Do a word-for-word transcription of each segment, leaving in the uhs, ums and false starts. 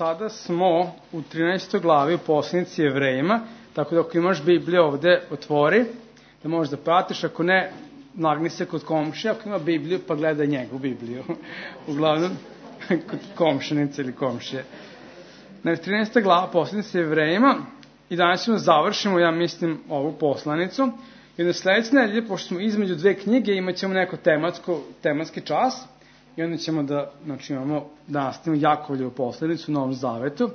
sada smo u trinaestoj glavi u poslanici Jevrejima, tako da ako imaš Bibliju ovde, otvori, da možeš da pratiš, ako ne, nagni se kod komšija, ako ima Bibliju, pa gledaj njegu Bibliju. Uglavnom, kod komšinice ili komšije. Znači, trinaesta glava poslanici Jevrejima, i danas ćemo završimo, ja mislim, ovu poslanicu. I na sledeće nedelje, pošto smo između dve knjige, imat ćemo neko tematsko, tematski čas, i onda ćemo da, znači, imamo, da nastavimo Jakovljevu poslanicu u Novom Zavetu,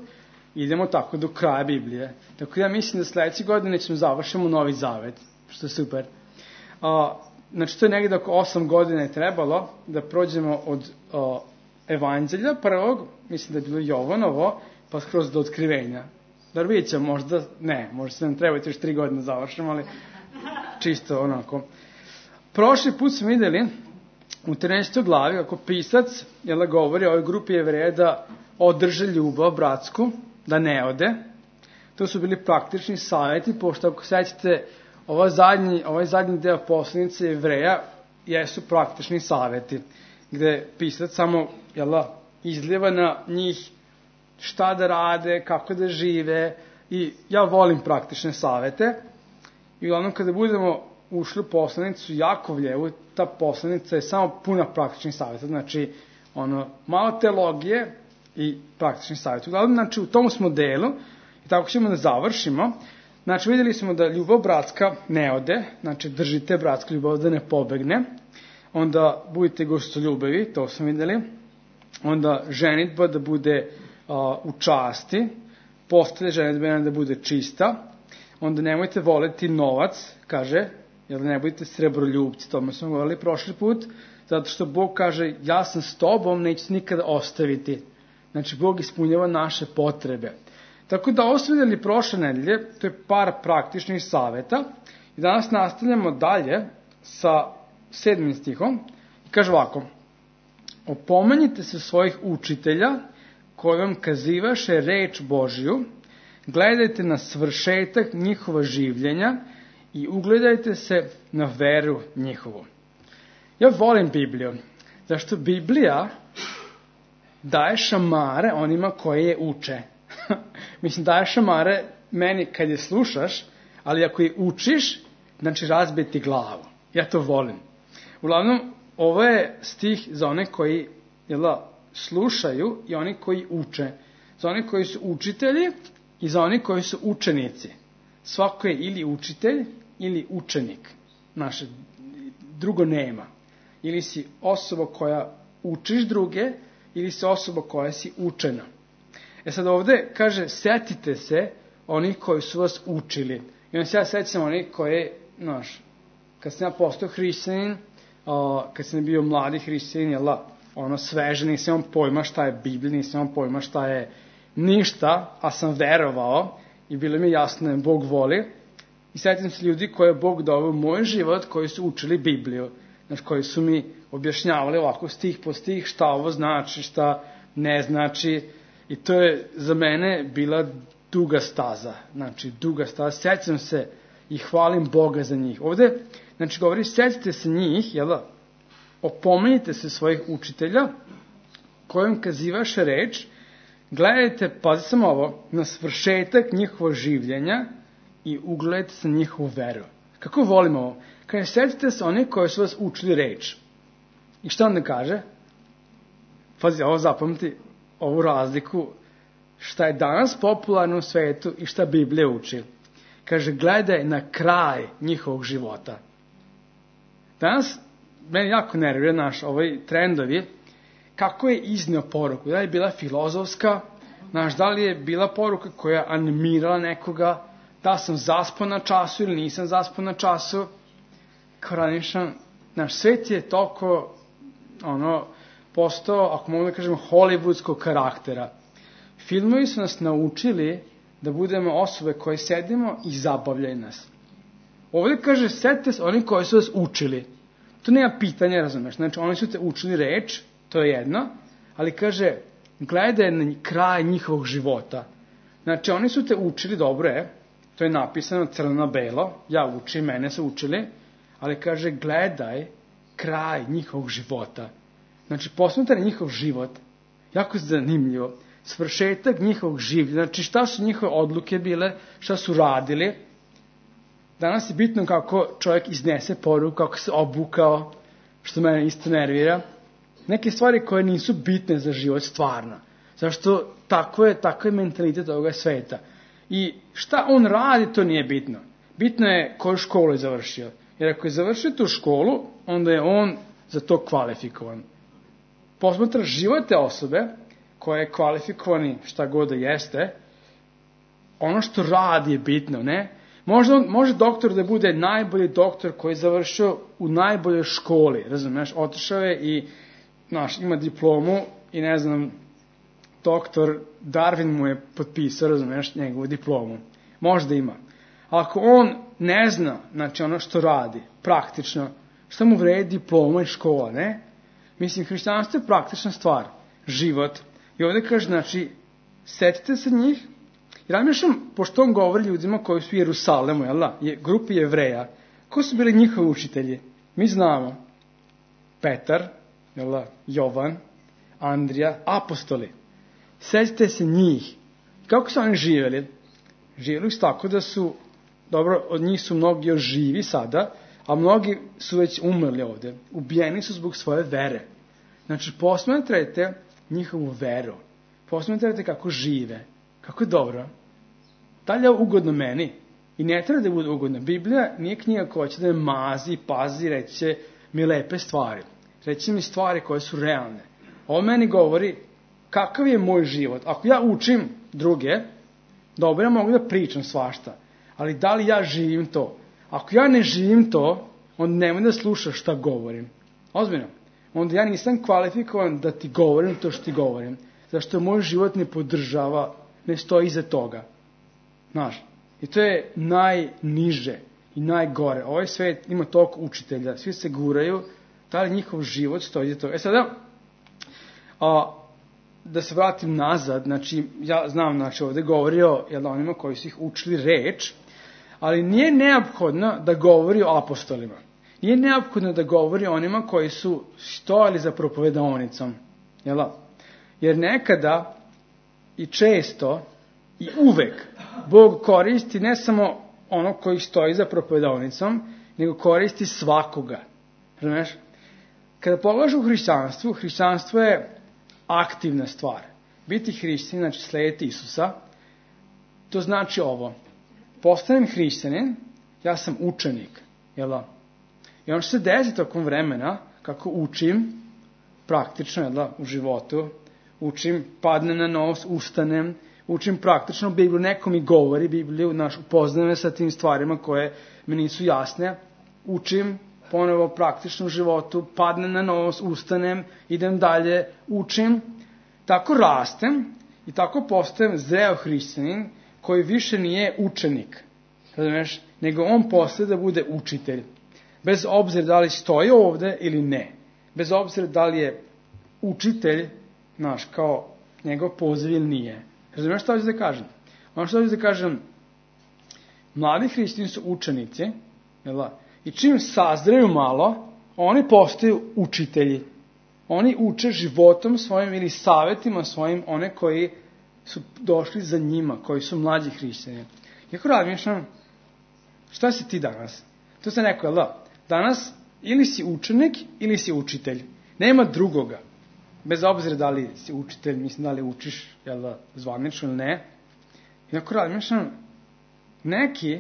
i idemo tako do kraja Biblije. Tako ja mislim da sledeće godine ćemo završimo Novi Zavet, što je super. A, znači, to je negdje oko osam godina je trebalo da prođemo od a, Evanđelja prvog, mislim da je bilo Jovanovo, pa skroz do Otkrivenja. Dar vidjet ćemo, možda, ne, možda se nam trebati još tri godine završimo, ali čisto onako. Prošli put smo videli u trinaestoj glavi, kako pisac jel, govori o ovoj grupi Jevreja da održe ljubav bratsku, da ne ode. To su bili praktični savjeti, pošto ako sećate, ovaj zadnji, ovaj zadnji deo poslanice Jevreja jesu praktični savjeti, gde pisac samo jel, izljeva na njih šta da rade, kako da žive, i ja volim praktične savjete. I uglavnom kada budemo ušli u poslanicu Jakovljevu, ta poslanica je samo puna praktičnih savjeta, znači ono, malo teologije i praktični savjet. Uglavnom, znači u tom smo delu, i tako ćemo da završimo. Znači vidjeli smo da ljubav bratska ne ode, znači držite bratska ljubav da ne pobegne, onda budite gostoljubivi, to smo vidjeli, onda ženitba da bude a, u časti, postelja ženitbena da bude čista, onda nemojte voleti novac, kaže, jer ne budete srebroljubci, tome smo govorili prošli put, zato što Bog kaže, ja sam s tobom, neću se nikada ostaviti. Znači, Bog ispunjava naše potrebe. Tako da ovo smo vidjeli prošle nedelje, to je par praktičnih savjeta, i danas nastavljamo dalje sa sedmim stihom, i kaže ovako, opomenjite se svojih učitelja, koji vam kazivaše reč Božiju, gledajte na svršetak njihova življenja i ugledajte se na veru njihovu. Ja volim Bibliju, zašto Biblija daje šamare onima koje je uče. Mislim, daje šamare meni kad je slušaš, ali ako je učiš, znači razbije ti glavu. Ja to volim. Uglavnom, ovo je stih za one koji jel, slušaju i oni koji uče. Za one koji su učitelji i za oni koji su učenici. Svako je ili učitelj ili učenik. Naše drugo nema. Ili si osoba koja učiš druge, ili si osoba koja si učena. E sad ovde kaže, setite se onih koji su vas učili. I onda se ja sećam onih koji, znaš, kad sam ja postao hrišćanin, kad sam bio mladi hrišćanin, jel da, ono sveže, nisam imam pojma šta je Biblija, nisam imam pojma šta je ništa, a sam verovao i bilo mi jasno da Bog voli. I sećam se ljudi koje je Bog doveo u moj život, koji su učili Bibliju, znači koji su mi objašnjavali ovako stih po stih šta ovo znači, šta ne znači. I to je za mene bila duga staza, znači duga staza. Sećam se i hvalim Boga za njih. Ovde, znači govori, sećate se njih, jel da? Opomenite se svojih učitelja, kojim kazivaše reč, gledajte, pazi samo ovo, na svršetak njihova življenja i ugledajte se na njihovu veru. Kako volimo ovo? Kaže, sećate se oni koji su vas učili reč. I šta onda kaže? Pazi, ovo zapamti, ovu razliku, šta je danas popularno u svetu i šta Biblija uči. Kaže, gledaj na kraj njihovog života. Danas, meni jako nervira naš ovaj trendovi, kako je iznio poruku. Da li je bila filozofska, znaš, da li je bila poruka koja je animirala nekoga, da sam zaspao na času ili nisam zaspao na času. Kao ranišan, naš svet je toliko, ono, postao, ako mogu da kažem, hollywoodskog karaktera. Filmovi su nas naučili da budemo osobe koje sedimo i zabavljaju nas. Ovdje kaže, setite se oni koji su vas učili. To nema pitanja, razumeš. Znači, oni su te učili reč, to je jedno, ali kaže, gledaj na kraj njihovog života. Znači, oni su te učili, dobro je, to je napisano crno na belo, ja učim, mene su učili, ali kaže, gledaj kraj njihovog života. Znači, posmetaj njihov život, jako zanimljivo. svršetak njihovog življenja, znači šta su njihove odluke bile, šta su radili. Danas je bitno kako čovjek iznese poruku, kako se obukao, što mene isto nervira. Neke stvari koje nisu bitne za život stvarno. Zašto tako je, tako je mentalitet ovoga sveta. I šta on radi, to nije bitno. Bitno je koju školu je završio. Jer ako je završio tu školu, onda je on za to kvalifikovan. Posmatra život te osobe, koja je kvalifikovani šta god da jeste, ono što radi je bitno, ne? Možda on, može doktor da bude najbolji doktor koji je završio u najboljoj školi, razumiješ? Otišao je i, znaš, ima diplomu i ne znam, doktor Darwin mu je potpisao, razumiješ, njegovu diplomu. Možda ima. Ako on ne zna, znači ono što radi, praktično, što mu vredi diploma i škola, ne? Mislim, hrišćanstvo je praktična stvar, život. I ovdje kaže, znači, setite se njih. I razmišljam, pošto on govori ljudima koji su u Jerusalemu, jel da, je, grupi Jevreja, ko su bili njihovi učitelji? Mi znamo. Petar, jel da, Jovan, Andrija, apostoli. Setite se njih. Kako su oni živjeli? Živjeli su tako da su, dobro, od njih su mnogi još živi sada, a mnogi su već umrli ovdje. Ubijeni su zbog svoje vere. Znači, posmatrajte njihovu veru. Posmatrajte kako žive. Kako je dobro. Da li je ugodno meni? I ne treba da bude ugodno. Biblija nije knjiga koja će da me mazi, pazi, reće mi lepe stvari. Reći mi stvari koje su realne. Ovo meni govori kakav je moj život. Ako ja učim druge, dobro, ja mogu da pričam svašta. Ali da li ja živim to? Ako ja ne živim to, onda nemoj da slušaš šta govorim. Ozbiljno. Onda ja nisam kvalifikovan da ti govorim to što ti govorim. Zašto moj život ne podržava, ne stoji iza toga. Znaš, i to je najniže i najgore. Ovaj svet ima toliko učitelja, svi se guraju, da li njihov život stoji iza toga. E sada, a, da se vratim nazad, znači, ja znam, znači, ovdje govorio jel, onima koji su ih učili reč, ali nije neophodno da govori o apostolima. Nije neophodno da govori o onima koji su stojali za propovedaonicom. Jel? Jer nekada i često i uvek Bog koristi ne samo ono koji stoji za propovedaonicom, nego koristi svakoga. Razumeš? Kada pogledaš u hrišćanstvu, hrišćanstvo je aktivna stvar. Biti hrišćanin, znači slijediti Isusa, to znači ovo. Postanem hrišćanin, ja sam učenik. Jel? I ono što se desi tokom vremena, kako učim, praktično jel, u životu, učim, padnem na nos, ustanem, učim praktično Bibliju, neko mi govori Bibliju, naš, upoznajem me sa tim stvarima koje mi nisu jasne, učim ponovo praktično u životu, padnem na nos, ustanem, idem dalje, učim, tako rastem i tako postajem zreo hrišćanin koji više nije učenik, razumiješ, nego on postaje da bude učitelj. Bez obzira da li stoji ovde ili ne. Bez obzira da li je učitelj, znaš, kao njegov poziv ili nije. Razumiješ što hoću da kažem? Ono što hoću da kažem, mladi hrišćani su učenici, jel da? I čim sazreju malo, oni postaju učitelji. Oni uče životom svojim ili savjetima svojim one koji su došli za njima, koji su mlađi hrišćani. Jako razmišljam, šta si ti danas? To se neko, jel da? Danas ili si učenik ili si učitelj. Nema drugoga. Bez obzira da li si učitelj, mislim da li učiš, jel da, zvanično ili ne. I ako razmišljam, neki,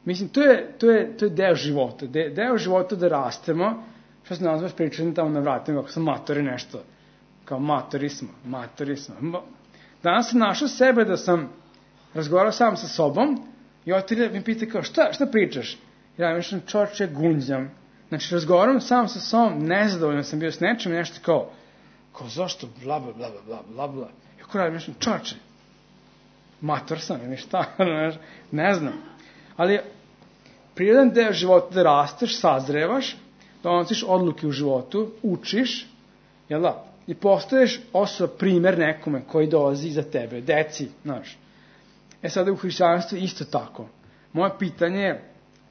mislim, to je, to je, to je deo života. De, deo života da rastemo, što se nazvaš pričati tamo na vratima, ako sam matori nešto. Kao matori smo, matori smo. Danas sam našao sebe da sam razgovarao sam sa sobom i otelje mi pita kao, šta, šta pričaš? Ja mislim, čoče, gunđam. Znači, razgovaram sam sa sobom, nezadovoljno sam bio s nečim, nešto kao, kao, zašto, bla, bla, bla, bla, bla, bla. I ako radim, mislim, čoče, mator sam, ili šta, ne znam. Ali, prirodan deo života da rasteš, sazrevaš, donosiš odluke u životu, učiš, jel da, i postaješ osoba, primer nekome koji dolazi iza tebe, deci, znaš. E sada u hrišćanstvu isto tako. Moje pitanje je,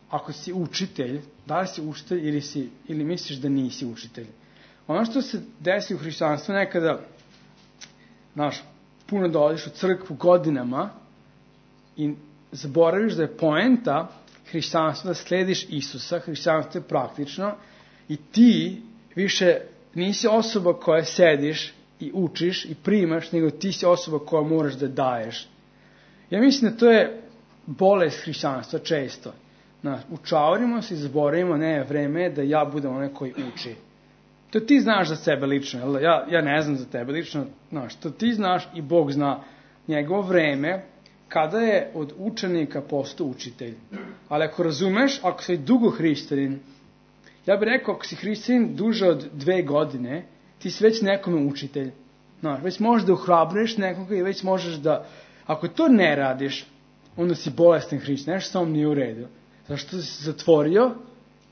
ako si učitelj, da li si učitelj ili, si, ili misliš da nisi učitelj? Ono što se desi u hrišćanstvu nekada, znaš, puno dolaziš u crkvu godinama i zaboraviš da je poenta hrišćanstva da slediš Isusa, hrišćanstvo je praktično i ti više nisi osoba koja sediš i učiš i primaš, nego ti si osoba koja moraš da daješ. Ja mislim da to je bolest hrišćanstva često. Znaš, učaurimo se i zaboravimo, ne, vreme je da ja budem onaj koji uči. To ti znaš za sebe lično, ja, ja ne znam za tebe lično, znaš, to ti znaš i Bog zna njegovo vreme, kada je od učenika postao učitelj. Ali ako razumeš, ako si dugo hrišćanin, ja bih rekao, ako si hrišćanin duže od dve godine, ti si već nekome učitelj. Znaš, već možeš da uhrabriš nekoga i već možeš da, ako to ne radiš, onda si bolestan hrišćanin, nešto samo nije u redu. Zašto si zatvorio,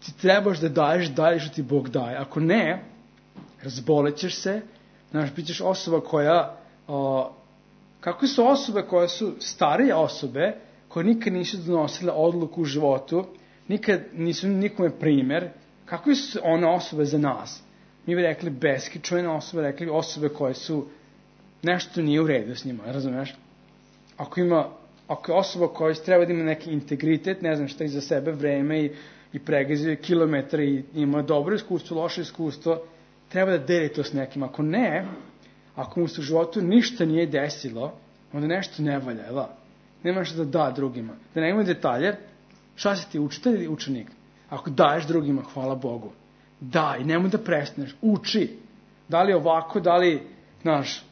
ti trebaš da daješ dalje što ti Bog daje. Ako ne, razbolećeš se, znaš, bit ćeš osoba koja, o, kako su osobe koje su starije osobe, koje nikad nisu donosile odluku u životu, nikad nisu nikome primjer, kako su one osobe za nas? Mi bi rekli beskičojne osobe, rekli osobe koje su, nešto nije u redu s njima, razumiješ? Ako ima, ako je osoba koja treba da ima neki integritet, ne znam šta iza sebe, vreme i, i pregazuje kilometre i ima dobro iskustvo, loše iskustvo, treba da deli to s nekim. Ako ne, ako mu se u životu ništa nije desilo, onda nešto ne valja, jel? Nema što da da drugima. Da ne ima detalje, šta si ti, učitelj ili učenik? Ako daješ drugima, hvala Bogu. Daj, nemoj da prestaneš, uči. Da li ovako, da li, znaš,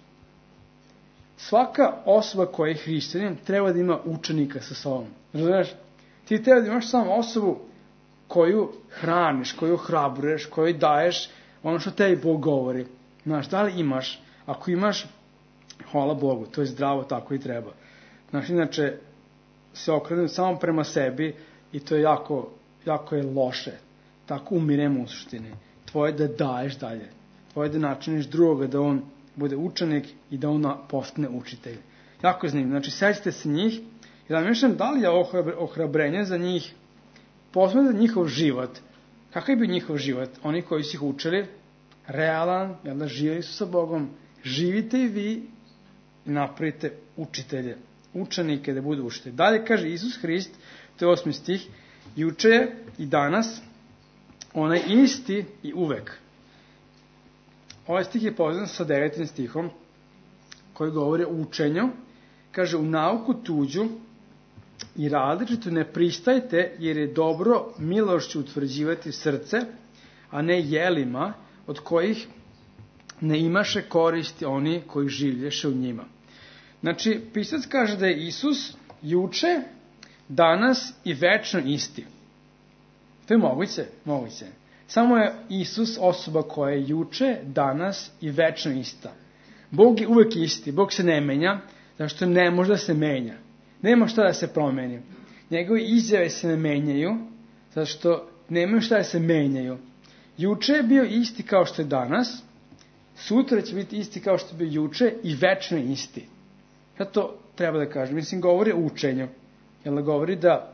svaka osoba koja je hrišćanin treba da ima učenika sa sobom. Razumiješ? Ti treba da imaš samo osobu koju hraniš, koju ohrabruješ, koju daješ ono što tebi Bog govori. Znaš, da li imaš? Ako imaš, hvala Bogu, to je zdravo, tako i treba. Znaš, inače, se okrenem samo prema sebi i to je jako, jako je loše. Tako umiremo u suštini. Tvoje da daješ dalje. Tvoje da načiniš drugoga da on bude učenik i da on postane učitelj. Jako je zanimljivo. Znači, sećate se njih i da mišljam da li je ohrabrenje za njih, posebno za njihov život. Kakav je bio njihov život? Oni koji su ih učili, realan, jel da živjeli su sa Bogom, živite i vi i napravite učitelje, učenike da budu učitelji. Dalje kaže Isus Hrist, to je osmi stih, juče je i danas, onaj isti i uvek. Ovaj stih je povezan sa devetim stihom, koji govori o učenju. Kaže, u nauku tuđu i različitu ne pristajte, jer je dobro milošću utvrđivati srce, a ne jelima, od kojih ne imaše koristi oni koji življeše u njima. Znači, pisac kaže da je Isus juče, danas i večno isti. To je moguće? Moguće. Samo je Isus osoba koja je juče, danas i večno ista. Bog je uvek isti, Bog se ne menja, zašto ne može da se menja. Nema šta da se promeni. Njegove izjave se ne menjaju, zašto nemaju šta da se menjaju. Juče je bio isti kao što je danas, sutra će biti isti kao što je bio juče i večno isti. Zato treba da kažem, mislim, govori o učenju. Jel da govori da,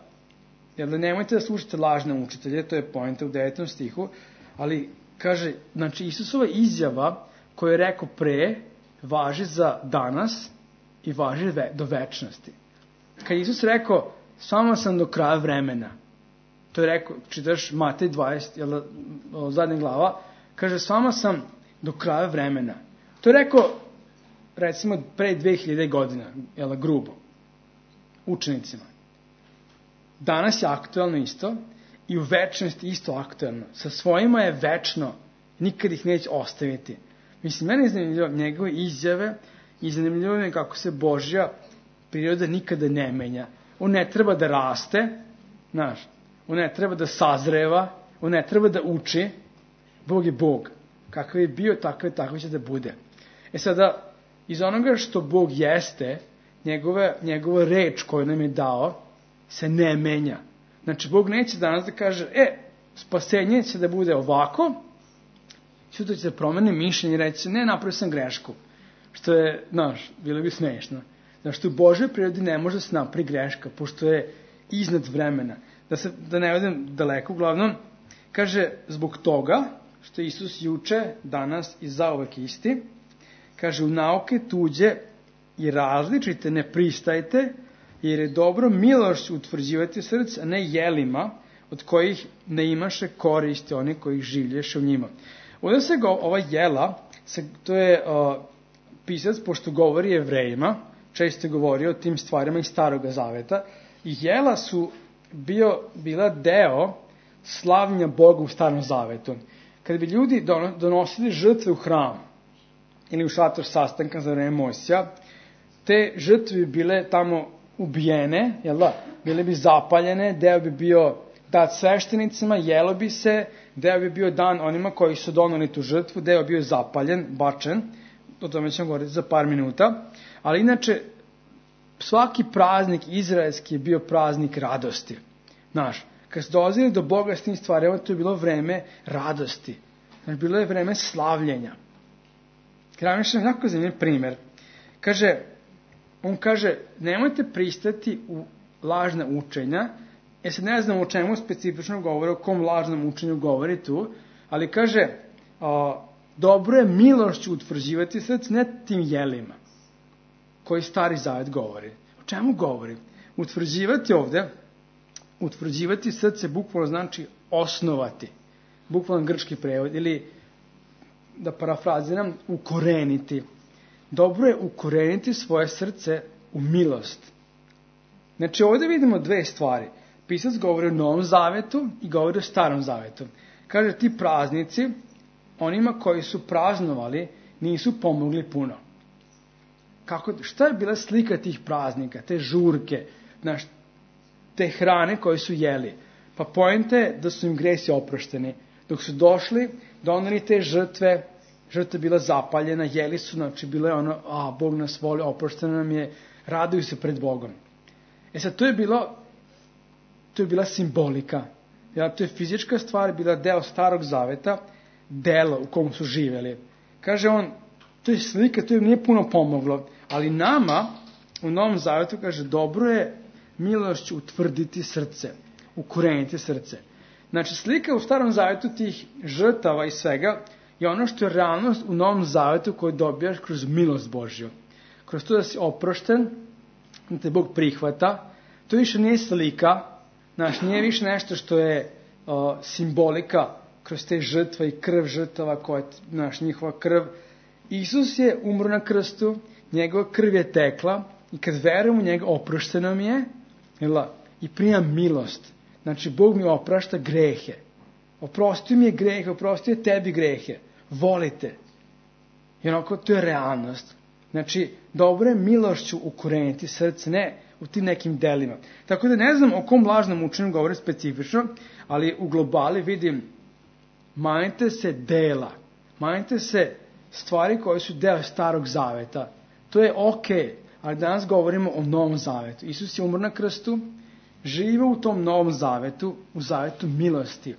jel da nemojte da slušate lažne učitelje, to je poenta u devetom stihu, ali kaže, znači Isusova izjava koju je rekao pre, važi za danas i važi do večnosti. Kad Isus rekao, samo sam do kraja vremena, to je rekao, čitaš Matej dvadeset, jel da, zadnja glava, kaže, samo sam do kraja vremena. To je rekao, recimo, pre dve hiljade godina, jel da, grubo, učenicima. Danas je aktualno isto i u večnosti isto aktualno. Sa svojima je večno, nikad ih neće ostaviti. Mislim, mene je zanimljivo njegove izjave i zanimljivo je kako se Božja priroda nikada ne menja. On ne treba da raste, znaš, on ne treba da sazreva, on ne treba da uči. Bog je Bog. Kakav je bio, takav je, tako će da bude. E sada, iz onoga što Bog jeste, njegove, njegova reč koju nam je dao, se ne menja. Znači, Bog neće danas da kaže, e, spasenje će da bude ovako, sutra će da promeni mišljenje i reći, ne, napravio sam grešku. Što je, znaš, bilo bi smešno. Znači, u Božoj prirodi ne može da se napravi greška, pošto je iznad vremena. Da, se, da ne odem daleko, uglavnom, kaže, zbog toga, što je Isus juče, danas i zauvek isti, kaže, u nauke tuđe i različite ne pristajte, jer je dobro milošću utvrđivati srce, a ne jelima, od kojih ne imaše koristi oni koji življeše u njima. Ovdje se go, ova jela, se, to je uh, pisac, pošto govori Jevrejima, često govori o tim stvarima iz Staroga Zaveta, i jela su bio, bila deo slavljenja Boga u Starom Zavetu. Kada bi ljudi donosili žrtve u hram ili u šator sastanka za vreme Mojsija, te žrtve bi bile tamo ubijene, jel da? Bile bi zapaljene, deo bi bio dat sveštenicima, jelo bi se, deo bi bio dan onima koji su doneli tu žrtvu, deo bi bio zapaljen, bačen, o tome ćemo govoriti za par minuta, ali inače svaki praznik izraelski je bio praznik radosti. Znaš, kad se dolazili do Boga s tim stvarima, to je bilo vreme radosti. Znači, bilo je vreme slavljenja. Kada mi što je jako zanimljiv primjer. Kaže, on kaže, nemojte pristati u lažna učenja, jer se ne znam o čemu specifično govori, o kom lažnom učenju govori tu, ali kaže, a, dobro je milošću utvrđivati srce, ne tim jelima, koji Stari Zavet govori. O čemu govori? Utvrđivati ovde, utvrđivati srce bukvalno znači osnovati. Bukvalno grčki prevod, ili da parafraziram, ukoreniti. Dobro je ukoreniti svoje srce u milost. Znači ovdje vidimo dve stvari. Pisac govori o Novom Zavetu i govori o Starom Zavetu. Kaže, ti praznici, onima koji su praznovali, nisu pomogli puno. Kako, šta je bila slika tih praznika, te žurke, znaš, te hrane koje su jeli? Pa poenta je da su im gresi oprošteni. Dok su došli, doneli te žrtve, žrtva bila zapaljena, jeli su, znači bilo je ono, a, Bog nas voli, oprošteno nam je, raduju se pred Bogom. E sad, to je bilo, to je bila simbolika. Ja, to je fizička stvar, bila deo Starog Zaveta, delo u kom su živeli. Kaže on, to je slika, to im nije puno pomoglo, ali nama u Novom Zavetu kaže, dobro je milošću utvrditi srce, ukoreniti srce. Znači, slika u Starom Zavetu tih žrtava i svega je ono što je realnost u Novom Zavetu koju dobijaš kroz milost Božju. Kroz to da si oprošten, da te Bog prihvata, to više nije slika, znači nije više nešto što je uh, simbolika kroz te žrtve i krv žrtava koja je, znaš, njihova krv. Isus je umro na krstu, njegova krv je tekla i kad verujem u njega oprošteno mi je, jel, i primam milost. Znači, Bog mi oprašta grehe. Oprostio mi je grehe, oprostio je tebi grehe. Volite. I onako, to je realnost. Znači, dobro je milošću ukoreniti srce, ne u tim nekim delima. Tako da ne znam o kom lažnom učenju govore specifično, ali u globali vidim, manite se dela, manite se stvari koje su deo Starog Zaveta. To je okej, ali danas govorimo o Novom Zavetu. Isus je umro na krstu, žive u tom Novom Zavetu, u Zavetu milosti.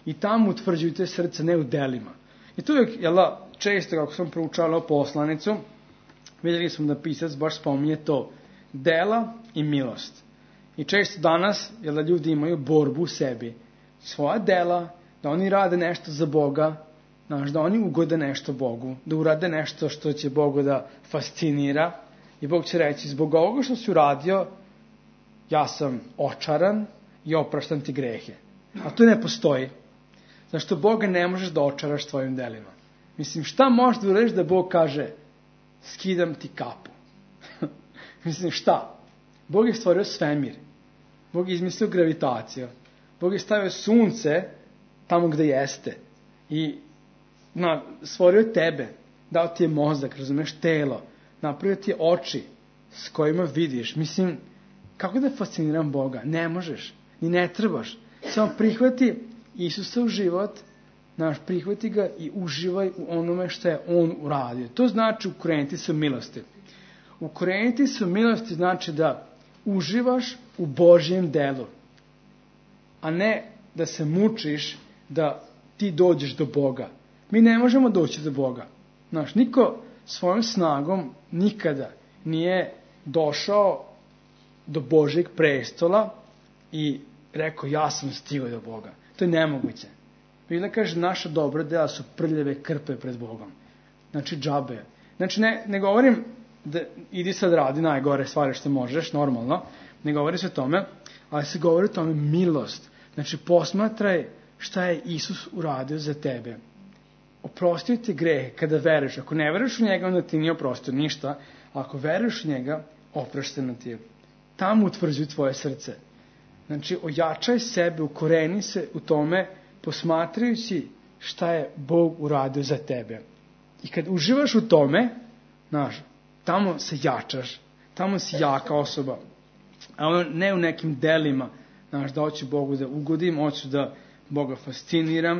I tamo utvrđujte srce, ne u delima. I to je, jel, često, kako sam proučavao poslanicu, vidjeli smo da pisac baš spominje to, dela i milost. I često danas, jel, ljudi imaju borbu u sebi. Svoja dela, da oni rade nešto za Boga, znaš, da oni ugode nešto Bogu, da urade nešto što će Bogu da fascinira. I Bog će reći, zbog ovoga što si uradio, ja sam očaran i opraštam ti grehe. A to ne postoji. Zašto Boga ne možeš da očaraš tvojim delima? Mislim, šta možeš da uradiš da Bog kaže, skidam ti kapu? Mislim, šta? Bog je stvorio svemir. Bog je izmislio gravitaciju. Bog je stavio sunce tamo gde jeste. I na, stvorio je tebe. Dao ti je mozak, razumeš, telo. Napravio ti je oči s kojima vidiš. Mislim, kako da fasciniram Boga? Ne možeš. Ni ne trebaš. Samo prihvati Isusa u život, znaš, prihvati ga i uživaj u onome što je on uradio. To znači ukoreniti se u milosti. Ukoreniti se u milosti znači da uživaš u Božjem delu, a ne da se mučiš da ti dođeš do Boga. Mi ne možemo doći do Boga. Znaš, niko svojom snagom nikada nije došao do Božjeg prestola i rekao, ja sam stigao do Boga. To je nemoguće. Biblia kaže, naša dobra dela su prljave krpe pred Bogom. Znači, džabe. Znači, ne, ne govorim da idi sad radi najgore stvari što možeš, normalno, ne govori se o tome, ali se govori o tome milost. Znači, posmatraj šta je Isus uradio za tebe. Oprostio ti grehe kada veruješ. Ako ne veruješ u njega, onda ti nije oprostio ništa. Ako veruješ u njega, oprošteno ti je. Tamo utvrđuj tvoje srce. Znači, ojačaj sebe, ukoreni se u tome, posmatrajući šta je Bog uradio za tebe. I kad uživaš u tome, znaš, tamo se jačaš, tamo si jaka osoba. A ono ne u nekim delima, znaš, da hoću Bogu da ugodim, hoću da Boga fasciniram.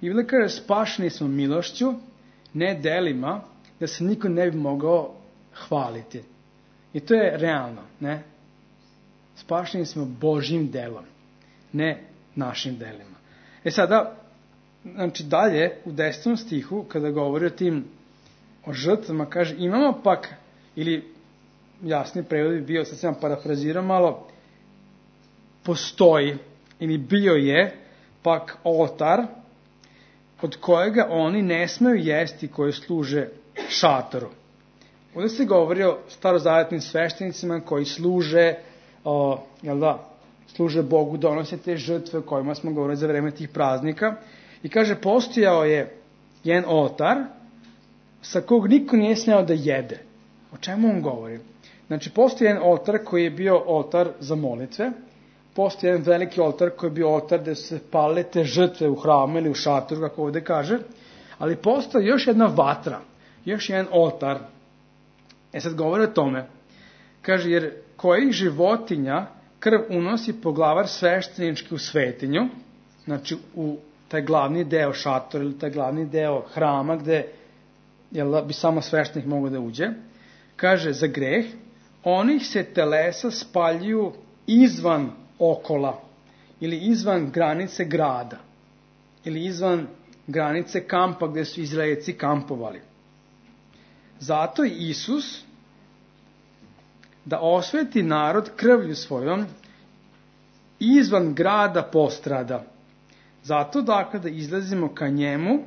I Biblia kaže, spašeni smo milošću, ne delima, da se niko ne bi mogao hvaliti. I to je realno, ne? Spašeni smo Božjim delom, ne našim delima. E sada, znači dalje, u desetom stihu, kada govori o tim, o žrtvama, kaže, imamo pak, ili jasni prevod bi bio, sad sam parafrazirao malo, postoji, ili bio je, pak oltar, od kojega oni ne smeju jesti koji služe šatoru. Ovdje se govori o starozavetnim sveštenicima koji služe, o, jel da, služe Bogu, donose te žrtve o kojima smo govorili za vreme tih praznika. I kaže, postojao je jedan oltar sa kog niko nije smeo da jede. O čemu on govori? Znači, postoji jedan oltar koji je bio oltar za molitve, postoji jedan veliki oltar koji je bio oltar gde su se palile te žrtve u hramu ili u šatoru, kako ovdje kaže, ali postoji još jedna vatra, još jedan oltar. E sad govori o tome, kaže, jer kojih životinja krv unosi poglavar sveštenički u svetinju, znači u taj glavni deo šatora ili taj glavni deo hrama gde jel, bi samo sveštenik mogao da uđe, kaže, za greh, onih se telesa spaljuju izvan okola ili izvan granice grada ili izvan granice kampa gde su Izraelci kampovali. Zato i Isus, da osveti narod krvlju svojom, izvan grada postrada. Zato dakle da izlazimo ka njemu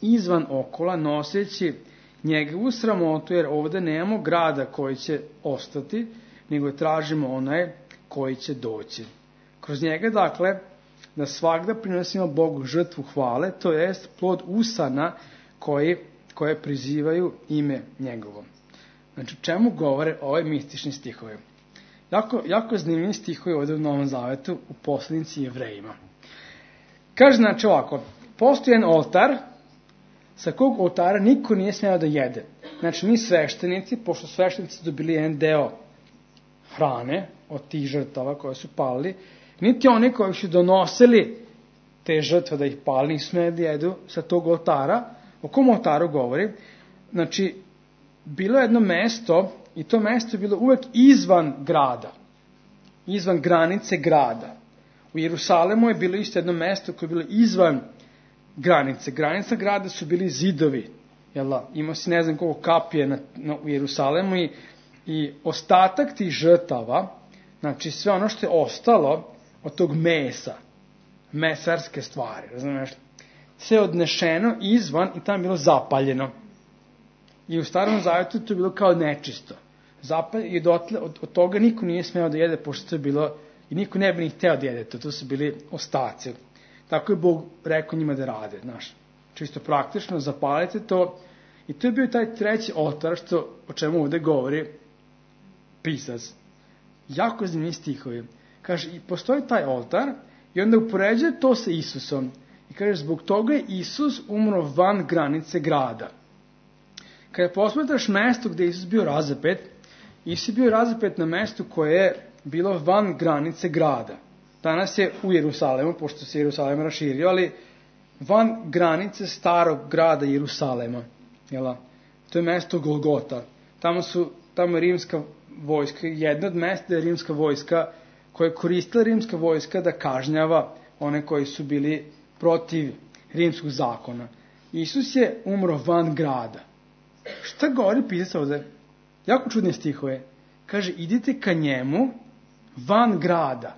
izvan okola noseći njegovu sramotu, jer ovdje nemamo grada koji će ostati, nego tražimo onaj koji će doći. Kroz njega, dakle, da svakda prinosimo Bogu žrtvu hvale, to jest plod usana koji, koje prizivaju ime njegovo. Znači, čemu govore ove mistični stihovi? Jako, jako zanimljivi stihovi ovdje u Novom Zavetu u poslanici Jevrejima. Kaže, znači ovako, postoji jedan oltar, sa kog oltara niko nije smeo da jede. Znači, ni sveštenici, pošto sveštenici dobili jedan deo hrane od tih žrtava koje su palili, niti oni koji su donosili te žrtve da ih pali, nisu smeli da jedu sa tog oltara. O kom oltaru govori? Znači, bilo je jedno mesto, i to mesto je bilo uvek izvan grada, izvan granice grada. U Jerusalemu je bilo isto jedno mesto koje je bilo izvan granice. Granica grada su bili zidovi. Jel, imao si ne znam koliko kapije na, na, u Jerusalemu i, i ostatak tih žrtava, znači sve ono što je ostalo od tog mesa, mesarske stvari, razumiješ, sve odnešeno izvan i tamo je bilo zapaljeno. I u Starom Zavetu to je bilo kao nečisto. Zapalj, i dotle, od, od toga niko nije smeo da jede, pošto je bilo, i niko ne bi ni hteo da jede to, to su bili ostaci. Tako je Bog rekao njima da rade, znaš. Čisto praktično, zapalite to. I to je bio taj treći oltar, što, o čemu ovdje govori pisac. Jako zanimljivi stihovi. Kaže, i postoji taj oltar, i onda upoređuje to sa Isusom. I kaže, zbog toga je Isus umro van granice grada. Kada posmetraš mesto gdje je Isus bio razapet, Isus je bio razapet na mestu koje je bilo van granice grada. Danas je u Jerusalemu, pošto se Jerusalem raširio, ali van granice starog grada Jerusalema. Jela? To je mesto Golgota. Tamo su, tamo je rimska vojska, jedna od mesta je rimska vojska, koja je koristila rimska vojska da kažnjava one koji su bili protiv rimskog zakona. Isus je umro van grada. Šta govori pisac ovdje? Jako čudne stihove. Kaže, idite ka njemu van grada.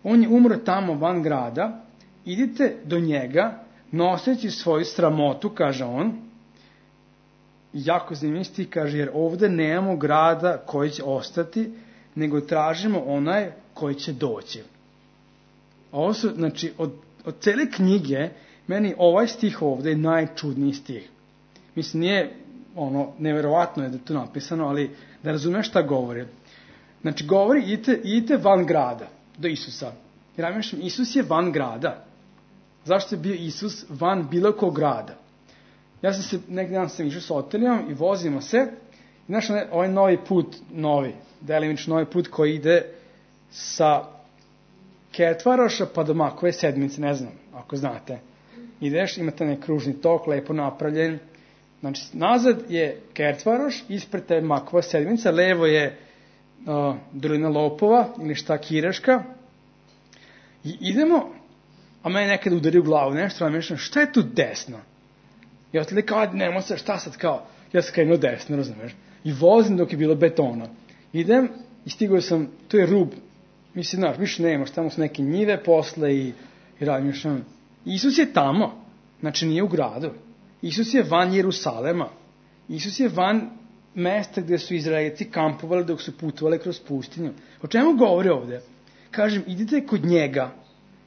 On je umro tamo van grada. Idite do njega, noseći svoju sramotu, kaže on, jako zanimljiv stih, kaže, jer ovde nemamo grada koji će ostati, nego tražimo onaj koji će doći. Ovo su, znači, od, od cele knjige, meni ovaj stih ovde je najčudniji stih. Mislim, nije, ono, neverovatno je da je to napisano, ali da razumeš šta govori. Znači, govori, idite, idite van grada, do Isusa. Jer ja mislim, Isus je van grada. Zašto je bio Isus van bilo kog grada? Ja sam se, neki dan sam išao s Otelijom i vozimo se. I znaš, ovaj novi put, novi, delimično novi put koji ide sa Ketvaroša pa do Makove sedmice, ne znam, ako znate. Ideš, imate neki kružni tok, lepo napravljen. Znači, nazad je Ketvaroš, ispred te Makova sedmica, levo je uh, Dolina Lopova ili šta Kireška. I idemo, a mene nekada udari u glavu nešto, a mišljam, šta je tu desno? I otele kao, nemo se, šta sad kao? Ja sam krenuo desno, razumeš? I vozim dok je bilo betona. Idem i stigao sam, to je rub. Mislim, znaš, više nema, tamo su neke njive posle i, i razmišljam. Isus je tamo, znači nije u gradu. Isus je van Jerusalema. Isus je van mesta gde su Izraelci kampovali dok su putovali kroz pustinju. O čemu govori ovde? Kažem, idite kod njega.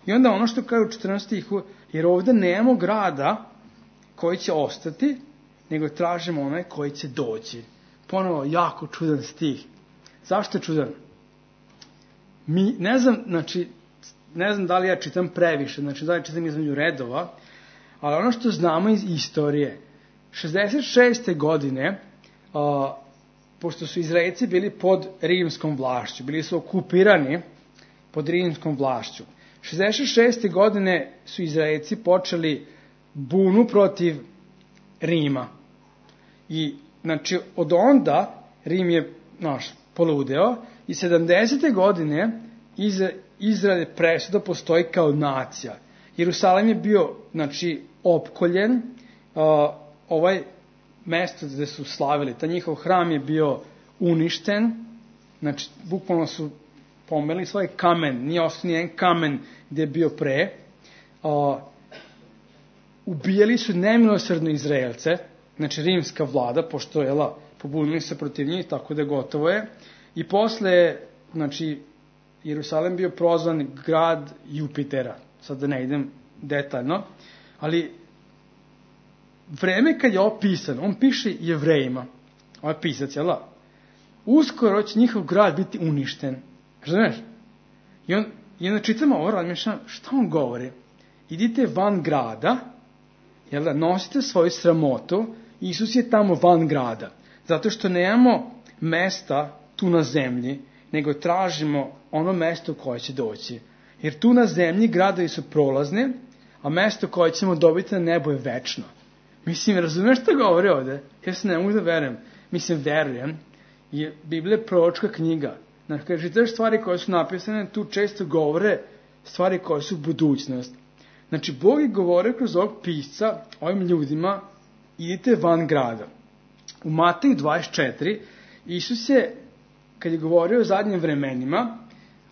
I onda ono što kaže u četrnaestom stihu, jer ovde nemamo grada koji će ostati, nego tražimo onaj koji će doći. Ponovo, jako čudan stih. Zašto je čudan? Mi, ne znam, znači, ne znam da li ja čitam previše, znači da li čitam između redova, ali ono što znamo iz istorije, šezdeset šeste godine, a, pošto su Izraelci bili pod rimskom vlašću, bili su okupirani pod rimskom vlašću, šezdeset šeste godine su Izraelci počeli bunu protiv Rima. I, znači, od onda Rim je, znaš, poludeo i sedamdesete godine iz Izrael presuda postoji kao nacija. Jerusalim je bio, znači, opkoljen, uh, ovaj mesto gde su slavili, ta njihov hram je bio uništen, znači, bukvalno su pomeli svoj kamen, nije ostao nijedan kamen gde je bio pre, uh, ubijali su nemilosrdno Izraelce, znači rimska vlada, pošto je la, pobunili se protiv njih, tako da gotovo je. I posle, znači, Jerusalim bio prozvan grad Jupitera. Sad da ne idem detaljno. Ali, vreme kad je opisan, on piše Jevrejima. Ovo je pisac, jel da? Uskoro će njihov grad biti uništen. Razumeš? I, on, i onda čitamo ovo, razmišljam, šta on govori? Idite van grada, jel da, nosite svoju sramotu, Isus je tamo van grada. Zato što nemamo mesta tu na zemlji, nego tražimo ono mesto koje će doći. Jer tu na zemlji gradovi su prolazni, a mesto koje ćemo dobiti na nebo je večno. Mislim, razumeš što govori ovde? Ja se ne mogu da verujem. Mislim, verujem. I Biblija je proročka knjiga. Znači, kada čitaš stvari koje su napisane, tu često govore stvari koje su budućnost. Znači, Bog je govorio kroz ovog pisca ovim ljudima, idite van grada. U Mateju dvadeset četiri, Isus je, kad je govorio o zadnjim vremenima,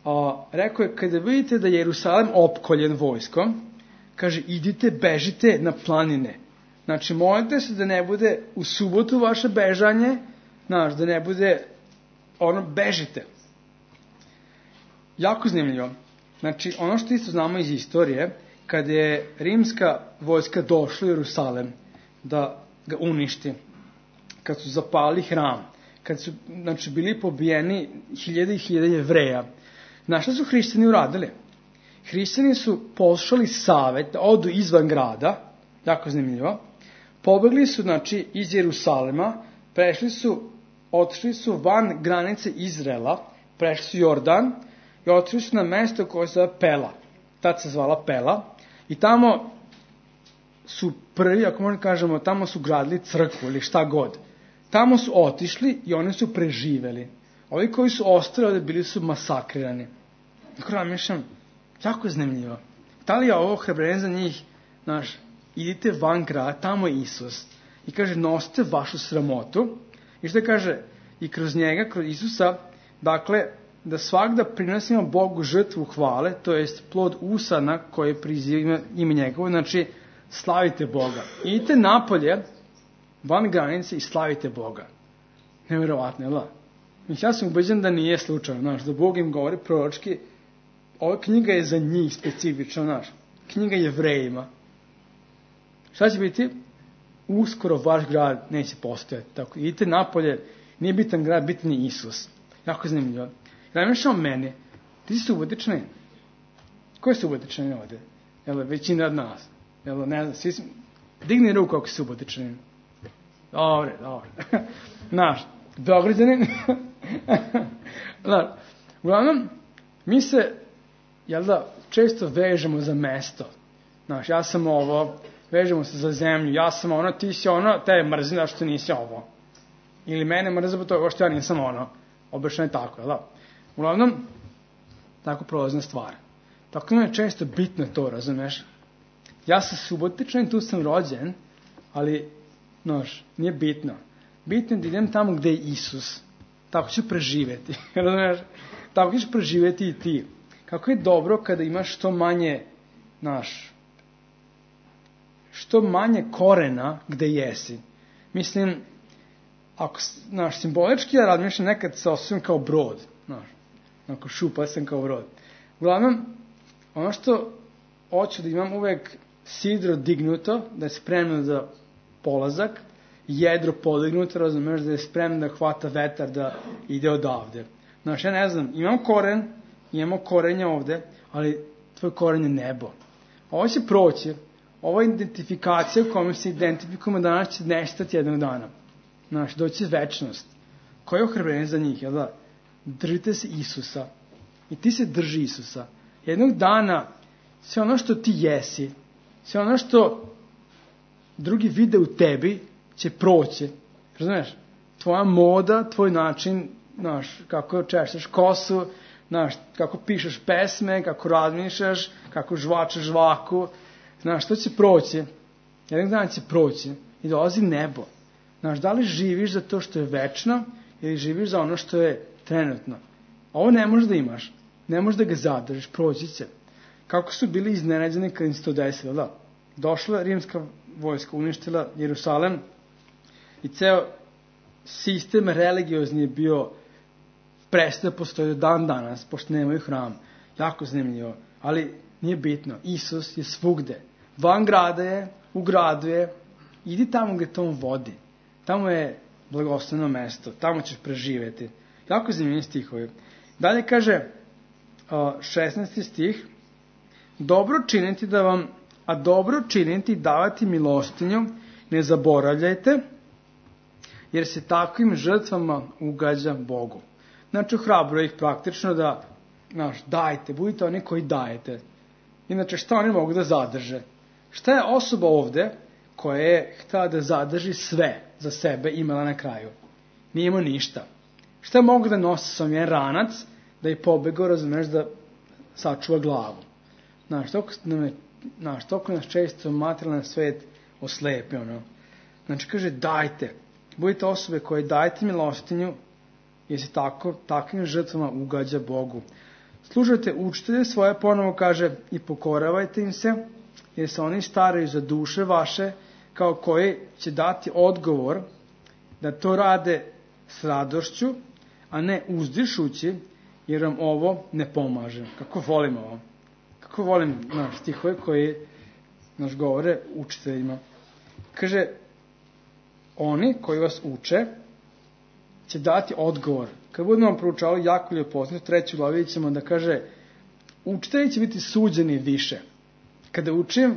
a, rekao je, kada vidite da je Jerusalim opkoljen vojskom, kaže, idite, bežite na planine. Znači, molite se da ne bude u subotu vaše bežanje, znaš, da ne bude, ono, bežite. Jako zanimljivo. Znači, ono što isto znamo iz istorije, kada je rimska vojska došla u Jerusalim da ga uništi, kad su zapali hram, kad su, znači, bili pobijeni hiljade i hiljade Jevreja, znaš šta su hrišćani uradili? Hrišćani su poslušali savet da odu izvan grada, jako zanimljivo, pobegli su, znači, iz Jerusalima, prešli su, otišli su van granice Izraela, prešli su Jordan i otišli su na mesto koje se zove Pela. Tad se zvala Pela. I tamo su prvi, ako možemo kažemo, tamo su gradili crkvu ili šta god. Tamo su otišli i oni su preživeli. Ovi koji su ostali ovde bili su masakrirani. Tako razmišljam, jako je zanimljivo. Da li je ovo hrabrenje za njih, znaš, idite van grada, tamo je Isus. I kaže, nosite vašu sramotu. I što kaže, i kroz njega, kroz Isusa, dakle, da svakda prinosimo Bogu žrtvu hvale, to jest plod usana koje priziva ime njegovo, znači, slavite Boga. Idite napolje van granice i slavite Boga. Nevjerovatno, jel da? Ja sam ubeđen da nije slučajno, znaš, da Bog im govori proročki, ova knjiga je za njih specifično, znaš, knjiga Jevrejima. Šta će biti? Uskoro vaš grad neće postojati. Tako, idite napolje, nije bitan grad, bitan je Isus. Jako zanimljivo. Ja ne mišljam meni, ti si subotični? Ko je subotični ovde? Jel, većina od nas. Jel, ne znam, svi smo... Digni ruku ako si subotični. Dobre, dobre. Znaš, Beograđanin. Znaš, uglavnom, mi se, jel da, često vežemo za mesto. Znaš, ja sam ovo, vežemo se za zemlju, ja sam ono, ti si ono, te je mrzim da što nisi ovo. Ili mene mrzim to što ja nisam ono. Obično je tako, jel da? Uglavnom, tako prolazna stvar. Tako mi je često bitno to, razumeš? Ja sam subotičan, tu sam rođen, ali, znaš, nije bitno. Bitno je da idem tamo gde je Isus. Tako ću preživeti, razumeš? Tako ćeš preživeti i ti. Kako je dobro kada imaš što manje, znaš, što manje korena gde jesi. Mislim, ako, znaš, simbolički ja razmišljam, nekad se osjećam kao brod, znaš, ako šupa sam kao brod. Uglavnom, ono što hoću da imam uvek sidro dignuto, da je spremno za polazak, jedro podignuto, razumeš, da je spremno da hvata vetar, da ide odavde. Znaš, ja ne znam, imam koren, imamo korenja ovde, ali tvoj koren je nebo. Ovo će proći, ova identifikacija u kojom se identifikujemo danas će nestati jednog dana. Znaš, doći večnost. Koje je ohrabrenje za njih, jel da? Držite se Isusa. I ti se drži Isusa. Jednog dana, sve ono što ti jesi, sve ono što drugi vide u tebi, će proći. Razumiješ? Tvoja moda, tvoj način, znaš, kako češćeš kosu, znaš, kako pišeš pesme, kako razmišljaš, kako žvačeš žvaku, znaš, to će proći. Jednog dana će proći i dolazi nebo. Znaš, da li živiš za to što je večno ili živiš za ono što je trenutno? Ovo ne možeš da imaš. Ne možeš da ga zadržiš, proći će. Kako su bili iznenađeni kad im se to desilo, da? Došla rimska vojska, uništila Jerusalem i ceo sistem religiozni je bio prestao postoji do dan danas, pošto nemaju hram. Jako zanimljivo. Ali nije bitno. Isus je svugde. Van grada je, u gradu je. Idi tamo gde to on vodi. Tamo je blagosloveno mesto. Tamo ćeš preživeti. Jako zanimljivi stihovi. Dalje kaže šesnaesti stih. Dobro činiti da vam, a dobro činiti i davati milostinju ne zaboravljajte, jer se takvim žrtvama ugađa Bogu. Znači, ohrabrujem ih praktično da, znaš, dajte, budite oni koji dajete. Inače, šta oni mogu da zadrže? Šta je osoba ovde koja je htela da zadrži sve za sebe imala na kraju? Nije imao ništa. Šta mogu da nosi sam jedan ranac da je pobegao, razumeš, da sačuva glavu? Znaš, toliko, nam znaš, toliko nas često materijalni svet oslepi, ono. Znači, kaže, dajte. Budite osobe koje dajte milostinju, jer se tako, takvim žrtvama ugađa Bogu. Slušajte učitelje svoje, ponovo kaže, i pokoravajte im se, jer se oni staraju za duše vaše, kao koji će dati odgovor da to rade s radošću, a ne uzdišući, jer vam ovo ne pomaže. Kako volim ovo. Kako volim, znaš, stihove koji naš govore učiteljima. Kaže, oni koji vas uče će dati odgovor. Kad budemo proučavali jako lijepo, treću glavi ćemo da kaže, učitelji će biti suđeni više. Kada učim,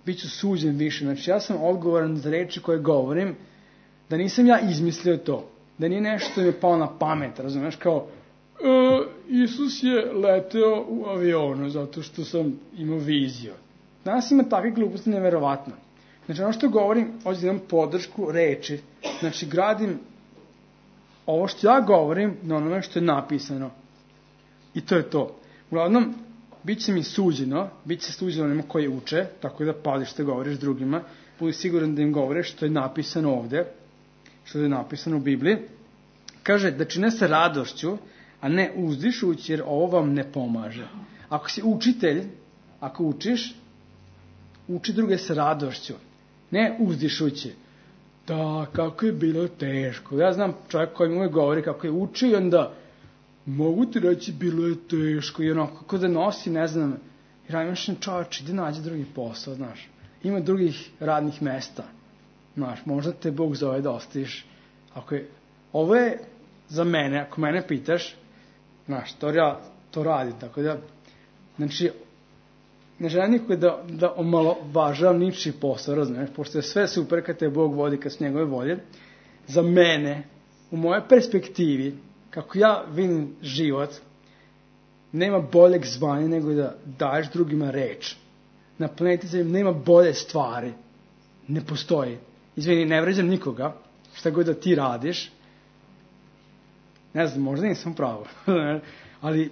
bit ću suđen više. Znači, ja sam odgovoran za reči koje govorim, da nisam ja izmislio to. Da nije nešto mi je palo na pamet, razumiješ, kao, e, Isus je leteo u avionu zato što sam imao viziju. Danas ima takve gluposti neverovatno. Znači, ono što govorim, hoću da imam podršku reči. Znači, gradim ovo što ja govorim na onome što je napisano. I to je to. Uglavnom, bit će mi suđeno, bit će suđeno onima koji uče, tako da paziš što govoriš drugima, budi siguran da im govoriš što je napisano ovde, što je napisano u Bibliji. Kaže da čine se radošću, a ne uzdišući, jer ovo vam ne pomaže. Ako si učitelj, ako učiš, uči druge sa radošću, ne uzdišući. da, kako je bilo teško. Ja znam čovjek koji mi uvijek govori kako je učio i onda mogu ti reći bilo je teško i onako kako da nosi, ne znam, i razmišljam čovječ, ide nađe drugi posao, znaš. Ima drugih radnih mesta, znaš, možda te Bog zove da ostaviš. Ako je, ovo je za mene, ako mene pitaš, znaš, to ja to radi, tako da, znači, ne želim nikog da, da omalovažavam ničiji posao, razumiješ, pošto je sve super kad te Bog vodi, kad su njegove volje. Za mene, u mojoj perspektivi, kako ja vidim život, nema boljeg zvanja nego da daješ drugima reč. Na planeti Zemlji nema bolje stvari. Ne postoji. Izvini, ne vređam nikoga, šta god da ti radiš. Ne znam, možda nisam pravo. Ali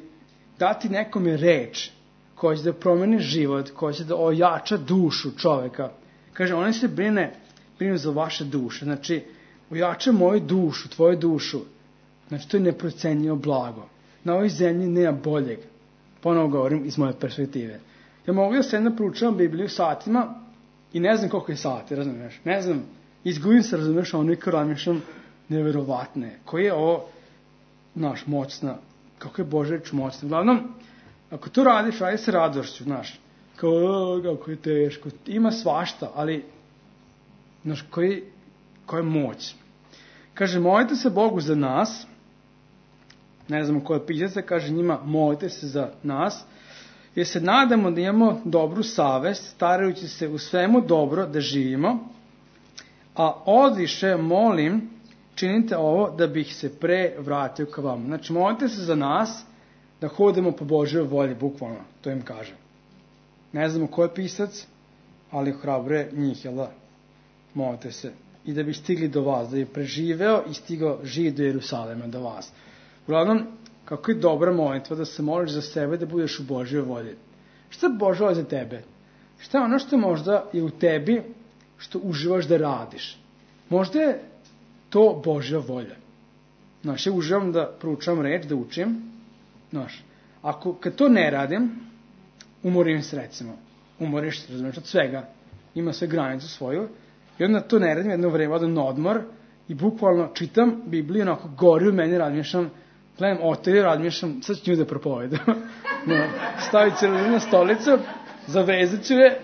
dati nekome reč koja će da promeni život, koja će da ojača dušu čoveka. Kaže, on se brine, brine za vaše duše. Znači, ojača moju dušu, tvoju dušu. Znači, to je neprocenjivo blago. Na ovoj zemlji nema boljeg. Ponovo govorim iz moje perspektive. Ja mogu da se jedna proučavam Bibliju satima i ne znam koliko je sati, razumiješ? Ne znam, izgubim se, razumiješ, ono i kao razmišljam neverovatne. Koji je ovo, znaš, moćna, kako je Božja reč moćna. Uglavnom, ako to radiš, radi se radošću, znaš. Kao, kako je teško. Ima svašta, ali, znaš, koji, koja je moć. Kaže, molite se Bogu za nas. Ne znamo koje pićete, kaže njima, molite se za nas. Jer se nadamo da imamo dobru savest, starajući se u svemu dobro da živimo. A odviše, molim, činite ovo da bih se pre vratio ka vama. Znači, molite se za nas da hodimo po Božjoj volji, bukvalno, to im kaže. Ne znamo ko je pisac, ali hrabre njih, jel da? Molite se. I da bi stigli do vas, da bi preživeo i stigao živ do Jerusalema, do vas. Uglavnom, kako je dobra molitva da se moliš za sebe, da budeš u Božjoj volji. Šta je Božja volja za tebe? Šta je ono što možda je u tebi, što uživaš da radiš? Možda je to Božja volja. Znaš, ja uživam da proučavam reč, da učim. Znaš, ako, kad to ne radim, umorim se, recimo. Umoriš se, razumiješ, od svega. Ima sve granicu svoju. I onda to ne radim, jedno vreme odem na odmor i bukvalno čitam Bibliju, onako gori u meni, razmišljam, gledam otelju, razmišljam, sad ću nju da propovedam. No, stavit ću na stolicu, zavezat ću je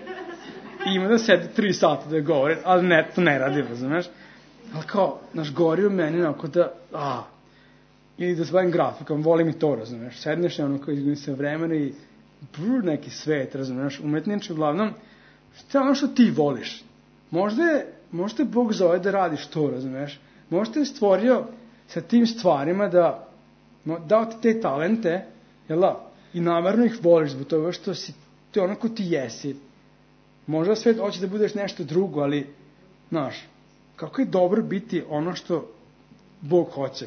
i ima da sedi tri sata da je govori, ali ne, to ne radim, razumiješ. Ali kao, znaš, gori u meni, onako da, a, ili da se bavim grafikom, volim i to, razumiješ. Sedneš je ono kao izgudim se vremena i brr, neki svet, razumiješ, umetniče, uglavnom, šta je ono što ti voliš? Možda je, možda je Bog zove da radiš to, razumiješ. Možda je stvorio sa tim stvarima da, dao ti te talente, jel da, i namerno ih voliš zbog toga što si, to je ono ko ti jesi. Možda svet hoće da budeš nešto drugo, ali, znaš, kako je dobro biti ono što Bog hoće.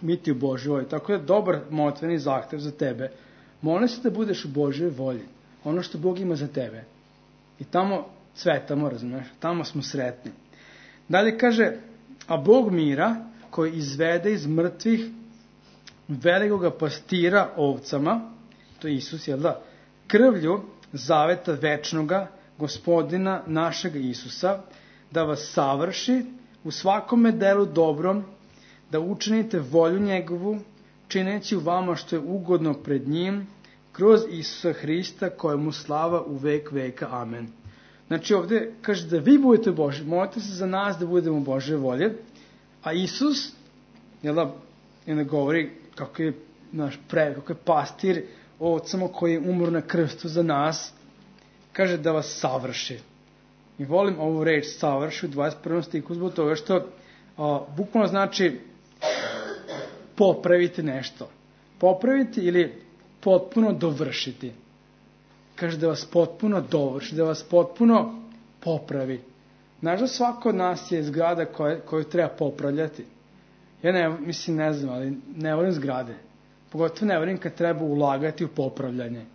Biti u Božjoj volji. Tako je dobar molitveni zahtev za tebe. Molim se da budeš u Božjoj volji. Ono što Bog ima za tebe. I tamo cvetamo, razumiješ, tamo smo sretni. Dalje kaže, a Bog mira, koji izvede iz mrtvih velikoga pastira ovcama, to je Isus, jel da, krvlju zaveta večnoga Gospodina našeg Isusa, da vas savrši u svakome delu dobrom, da učinite volju njegovu, čineći u vama što je ugodno pred njim, kroz Isusa Hrista, kojemu slava u vek veka. Amen. Znači ovdje kaže da vi budete Božji, molite se za nas da budemo Božje volje, a Isus, jel da, ne govori kako je naš pre, kako je pastir ovcama koji je umro na krstu za nas, kaže da vas savrši. I volim ovu reč savrši u dvadeset prvom stihu zbog toga što a, bukvalno znači popraviti nešto. Popraviti ili potpuno dovršiti. Kaže da vas potpuno dovrši, da vas potpuno popravi. Znaš da svako od nas je zgrada koje, koju treba popravljati. Ja ne, mislim, ne znam, ali ne volim zgrade. Pogotovo ne volim kad treba ulagati u popravljanje.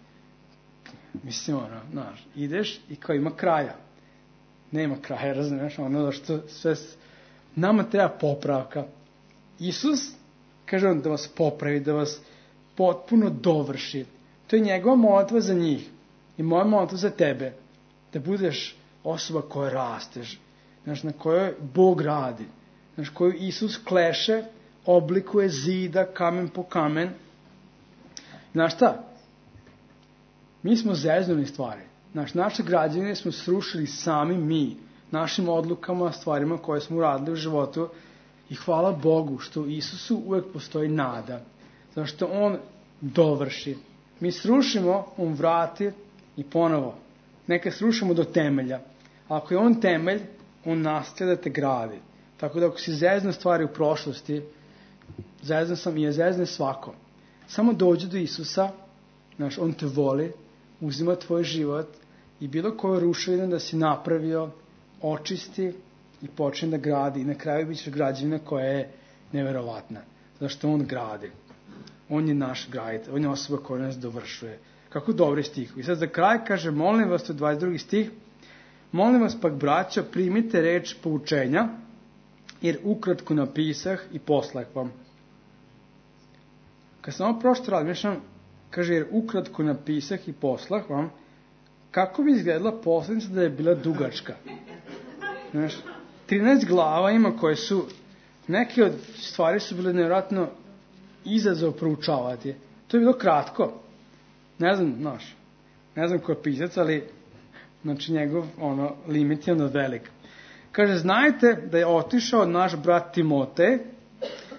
Mislim, ono, znaš, ideš i kao ima kraja. Nema kraja, razumiješ, ono što sve, nama treba popravka. Isus, kaže on, da vas popravi, da vas potpuno dovrši. To je njegova molitva za njih. I moja molitva za tebe. Da budeš osoba koja rasteš. znaš, na kojoj Bog radi, znaš, koju Isus kleše, oblikuje zida, kamen po kamen. Znaš šta? Mi smo zeznuli stvari. Znaš, naše građevine smo srušili sami mi, našim odlukama, stvarima koje smo uradili u životu i hvala Bogu što u Isusu uvek postoji nada. Zašto On dovrši. Mi srušimo, On vrati i ponovo. Neka srušimo do temelja. Ako je On temelj, On nastavlja da te gradi. Tako da ako si zezna stvari u prošlosti, zezna sam i je zezne svako. Samo dođi do Isusa, znaš, On te voli, uzima tvoj život i bilo koju ruševinu da si napravio, očisti i počne da gradi. I na kraju bit će građevina koja je neverovatna. Zašto On gradi. On je naš graditelj, On je osoba koja nas dovršuje. Kako dobri stih. I sad za kraj kaže, molim vas, to je dvadeset drugi stih, molim vas pak, braćo, primite reč poučenja, jer ukratko napisah i poslah vam. Kad sam ovo prošto razmišljam, kaže, jer ukratko napisah i poslah vam, kako bi izgledala poslanica da je bila dugačka? Znaš, trinaest glava ima koje su, neke od stvari su bile nevjerojatno izazov proučavati. To je bilo kratko. Ne znam, znaš, ne znam ko je pisac, ali znači njegov ono, limit je ono velik. Kaže, znajte da je otišao naš brat Timotej,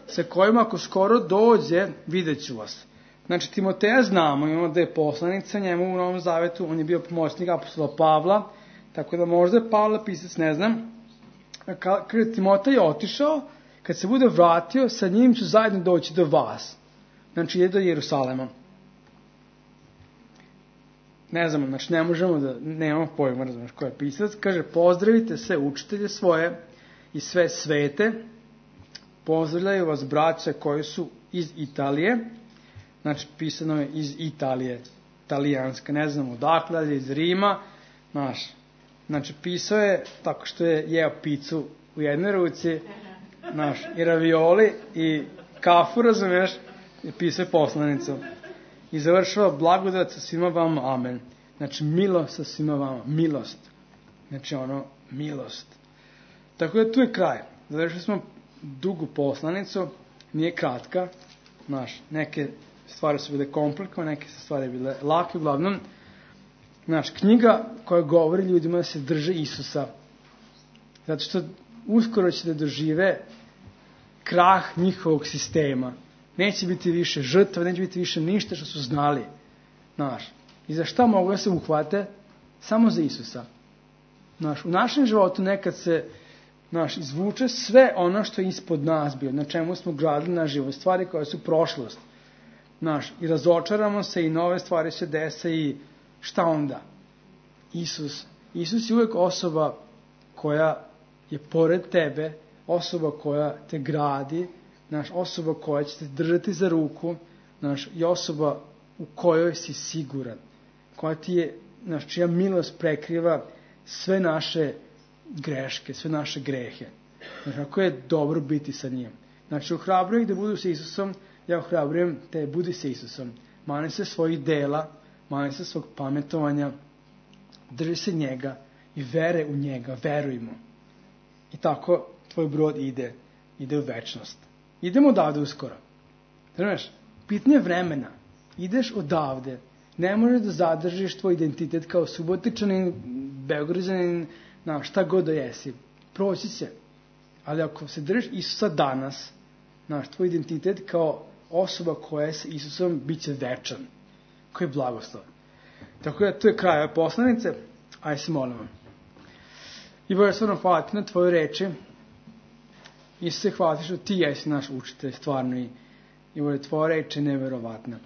sa kojim ako skoro dođe, vidjet ću vas. Znači, Timoteja znamo, imamo da je poslanica njemu u Novom Zavetu, on je bio pomoćnik apostola Pavla, tako da možda je Pavla pisac, ne znam. Kaže, Timotej je otišao, kad se bude vratio, sa njim ću zajedno doći do vas. Znači, ide do Jerusalema. Ne znamo, znači ne možemo da, nemamo pojma, razumiješ ko je pisac. Kaže, pozdravite sve učitelje svoje i sve svete. Pozdravljaju vas braće koji su iz Italije. Znači, pisano je iz Italije, talijanska, ne znamo odakle, ali iz Rima. Znaš, znači, pisao je tako što je jeo picu u jednoj ruci, znaš, i ravioli i kafu, razumiješ, i pisao je poslanicu. I završava blagodat sa svima vama, amen. Znači, milost sa svima vama, milost. Znači, ono, milost. Tako da tu je kraj. Završili smo dugu poslanicu, nije kratka, znaš, neke stvari su bile komplikovane, neke su stvari bile lake, uglavnom. Znaš, knjiga koja govori ljudima da se drže Isusa. Zato što uskoro će da dožive krah njihovog sistema. Neće biti više žrtva, neće biti više ništa što su znali. Znaš, i za šta mogu da se uhvate? Samo za Isusa. Znaš, u našem životu nekad se, znaš, izvuče sve ono što je ispod nas bio, na čemu smo gradili naš život, stvari koje su prošlost. Znaš, i razočaramo se i nove stvari se dese i šta onda? Isus. Isus je uvijek osoba koja je pored tebe, osoba koja te gradi, naš, osoba koja će te držati za ruku, naš, i osoba u kojoj si siguran, koja ti je, naš, čija milost prekriva sve naše greške, sve naše grehe. Znači, ako je dobro biti sa njim. Znači, ohrabrujem ih da budu sa Isusom, ja ohrabrujem te, budi sa Isusom. Mani se svojih dela, mani se svog pametovanja, drži se njega i vere u njega, veruj mu. I tako tvoj brod ide, ide u večnost. Idemo odavde uskoro. Znaš, pitanje vremena. Ideš odavde. Ne možeš da zadržiš tvoj identitet kao Subotičanin, Beograđanin, na šta god da jesi. Proći će. Ali ako se držiš Isusa danas, znaš, tvoj identitet kao osoba koja je sa Isusom bit će večan. Koji je blagoslov. Tako da to je kraj ove poslanice. Ajde se molimo. I Bože, stvarno hvala ti na tvoje reči. Isuse, hvala ti što ti jesi naš učitelj, stvarno, i, i Bože, tvoja reč je neverovatna.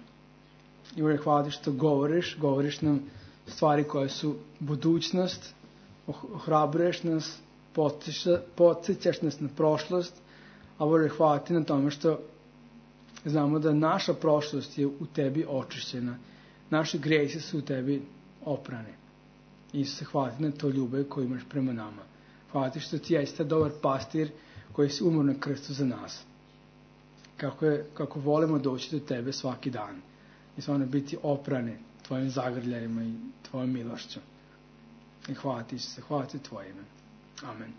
I Bože, hvala ti što govoriš, govoriš nam stvari koje su budućnost, ohrabruješ nas, podsjećaš nas na prošlost, a Bože, hvala ti na tome što znamo da naša prošlost je u tebi očišćena, naši gresi su u tebi oprani. Isuse, hvala ti na to ljubav koju imaš prema nama. Hvala ti što ti jeste dobar pastir koji si umro na krstu za nas. Kako, je, kako volimo doći do tebe svaki dan. I stvarno biti oprani tvojim zagrljajima i tvojom milošću. I hvala ti se, hvala ti tvoje ime. Amen.